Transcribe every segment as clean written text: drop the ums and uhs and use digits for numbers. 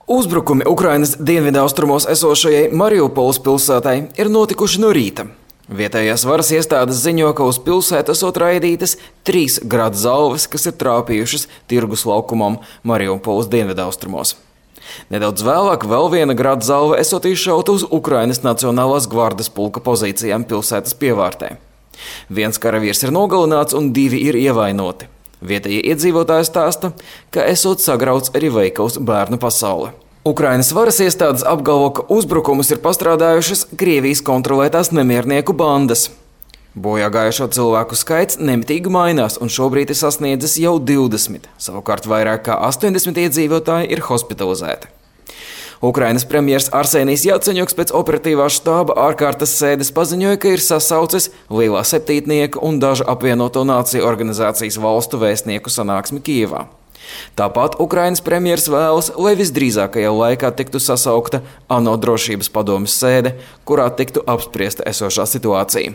Uzbrukumi Ukrainas dienvidaustrumos esošajai Mariupoles pilsētai ir notikuši no rīta. Vietējās varas iestādes ziņo, ka uz pilsētu esot raidītas 3 gradu zalves, kas ir trāpījušas tirgus laukumam Mariupoles dienvidaustrumos. Nedaudz vēlāk vēl viena gradu zalve esot izšauta uz Ukrainas Nacionālās gvardes pulka pozīcijām pilsētas pievārtē. 1 karavīrs ir nogalināts un 2 ir ievainoti. Vietējie iedzīvotāji stāsta, ka esot sagrauts arī veikals Bērnu pasaule. Ukrainas varas iestādes apgalvo, ka uzbrukumus ir pastrādājušas Krievijas kontrolētās nemiernieku bandas. Bojā gājušo cilvēku skaits nemitīgi mainās un šobrīd ir sasniedzis jau 20, savukārt vairāk kā 80 iedzīvotāji ir hospitalizēti. Ukrainas premjers Arsenijs Jaceņuks pēc operatīvā štāba ārkārtas sēdes paziņoja, ka ir sasaucis Lielā septītnieka un dažu apvienoto nāciju organizācijas valstu vēstnieku sanāksmi Kijevā. Tāpat Ukrainas premjers vēlas, lai visdrīzākajā laikā tiktu sasaukta ANO drošības padomes sēde, kurā tiktu apspriesta esošā situācija.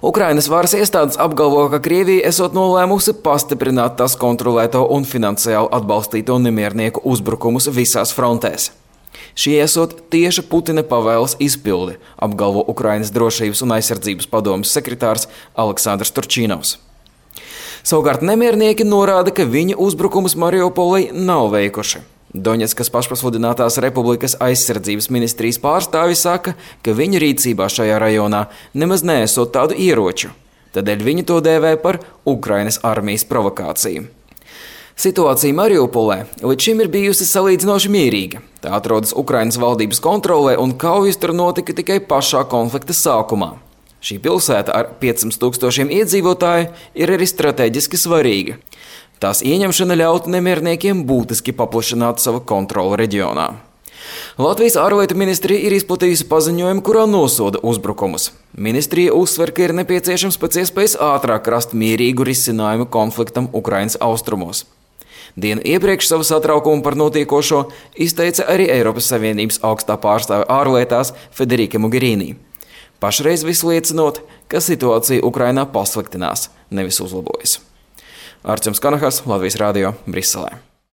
Ukrainas varas iestādes apgalvo, ka Krievija esot nolēmusi pastiprināt tās kontrolēto un finansiāli atbalstīto nemiernieku uzbrukumus visās frontēs. Šie esot tieši Putina pavēles izpildi, apgalvo Ukrainas drošības un aizsardzības padomes sekretārs Aleksandrs Turčīnovs. Savukārt nemiernieki norāda, ka viņi uzbrukumus Mariupolei nav veikuši. Doņetskas pašpasludinātās republikas aizsardzības ministrijas pārstāvi saka, ka viņu rīcībā šajā rajonā nemaz neesot tādu ieroču. Tādēļ viņi to dēvē par Ukrainas armijas provokāciju. Situācija Mariupolē līdz šim ir bijusi salīdzinoši mierīga. Tā atrodas Ukrainas valdības kontrolē un kaujas tur notika tikai pašā konflikta sākumā. Šī pilsēta ar 500 000 iedzīvotāju ir arī strateģiski svarīga. Tās ieņemšana ļautu nemierniekiem būtiski paplašināt savu kontroli reģionā. Latvijas ārlietu ministrija ir izplatījusi paziņojumu, kurā nosoda uzbrukumus. Ministrija uzsver, ka ir nepieciešams pēc iespējas ātrāk rast mierīgu risinājumu konfliktam Ukrainas austrumos. Dienu iepriekš savu satraukumu par notiekošo izteica arī Eiropas Savienības augstā pārstāve ārlietās Federika Mogherini. Pašreiz viss liecinot, ka situācija Ukrainā pasliktinās, nevis uzlabojas. Arčuns Kanahas, Latvijas radio, Briselē.